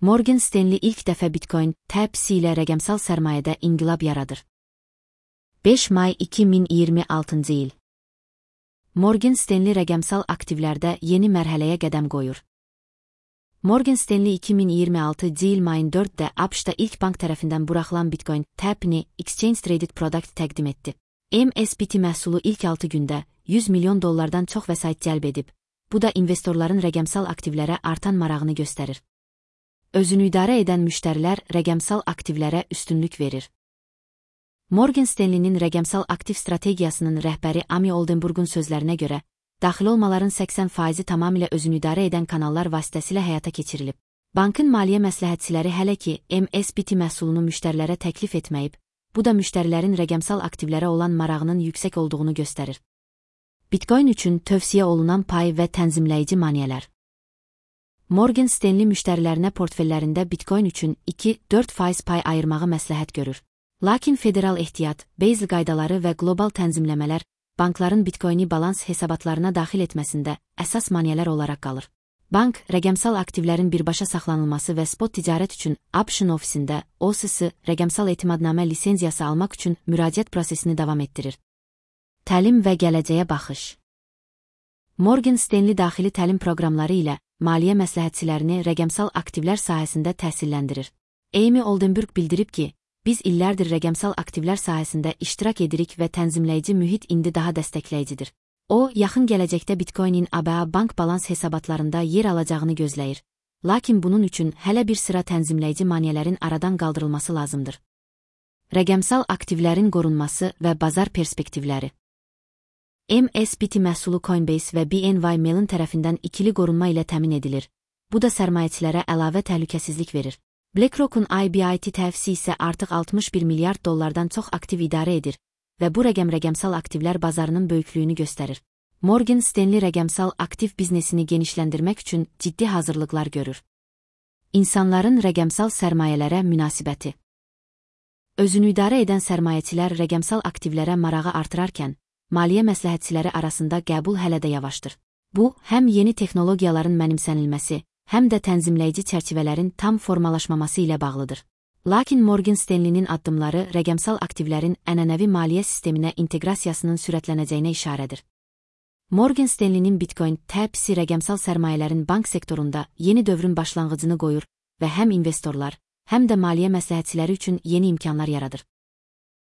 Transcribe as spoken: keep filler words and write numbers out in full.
Morgan Stanley ilk dəfə Bitcoin təbisi ilə rəqəmsal sərmayədə inqilab yaradır. beş may iki min iyirmi altıncı il. Morgan Stanley rəqəmsal aktivlərdə yeni mərhələyə qədəm qoyur. Morgan Stanley iki min iyirmi altıncı il mayın dördündə ABŞ-da ilk bank tərəfindən buraxılan Bitcoin təbini Exchange Traded Product təqdim etdi. M S B T məhsulu ilk altı gündə yüz milyon dollardan çox vəsait cəlb edib. Bu da investorların rəqəmsal aktivlərə artan marağını göstərir. Özünü idarə edən müştərilər rəqəmsal aktivlərə üstünlük verir. Morgan Stanley'nin rəqəmsal aktiv strategiyasının rəhbəri Amy Oldenburg'un sözlərinə görə, daxil olmaların səksən faizi tamamilə özünü idarə edən kanallar vasitəsilə həyata keçirilib. Bankın maliyyə məsləhətçiləri hələ ki M S B T məhsulunu müştərilərə təklif etməyib, bu da müştərilərin rəqəmsal aktivlərə olan marağının yüksək olduğunu göstərir. Bitcoin üçün tövsiyə olunan pay və tənzimləyici maneələr. Morgan Stanley müştərilərinə portfellərində Bitcoin üçün iki dörd faiz pay ayırmağı məsləhət görür. Lakin federal ehtiyat, Basel qaydaları və qlobal tənzimləmələr bankların Bitcoin'i balans hesabatlarına daxil etməsində əsas maneələr olaraq qalır. Bank, rəqəmsal aktivlərin birbaşa saxlanılması və spot ticarət üçün Option ofisində O S S rəqəmsal etimadnamə lisenziyası almaq üçün müraciət prosesini davam etdirir. Təlim və gələcəyə baxış. Morgan Stanley daxili təlim proqramları ilə maliyyə məsləhətçilərini rəqəmsal aktivlər sahəsində təhsilləndirir. Amy Oldenburg bildirib ki, biz illərdir rəqəmsal aktivlər sahəsində iştirak edirik və tənzimləyici mühit indi daha dəstəkləyicidir. O, yaxın gələcəkdə Bitcoin'in A B A bank balans hesabatlarında yer alacağını gözləyir. Lakin bunun üçün hələ bir sıra tənzimləyici maneələrin aradan qaldırılması lazımdır. Rəqəmsal aktivlərin qorunması və bazar perspektivləri. M S B T məhsulu Coinbase və B N Y Mellon tərəfindən ikili qorunma ilə təmin edilir. Bu da sərmayəçilərə əlavə təhlükəsizlik verir. BlackRock'un I B I T təfisi isə artıq altmış bir milyard dollardan çox aktiv idarə edir və bu rəqəm rəqəmsal aktivlər bazarının böyüklüyünü göstərir. Morgan Stanley rəqəmsal aktiv biznesini genişləndirmək üçün ciddi hazırlıqlar görür. İnsanların rəqəmsal sərmayələrə münasibəti. Özünü idarə edən sərmayəçilər rəqəmsal aktivlərə marağı artırarkən, maliyyə məsləhətçiləri arasında qəbul hələ də yavaşdır. Bu, həm yeni texnologiyaların mənimsənilməsi, həm də tənzimləyici çərçivələrin tam formalaşmaması ilə bağlıdır. Lakin Morgan Stanley'nin addımları rəqəmsal aktivlərin ənənəvi maliyyə sisteminə inteqrasiyasının sürətlənəcəyinə işarədir. Morgan Stanley'nin Bitcoin təbisi rəqəmsal sərmayələrin bank sektorunda yeni dövrün başlanğıcını qoyur və həm investorlar, həm də maliyyə məsləhətçiləri üçün yeni imkanlar yaradır.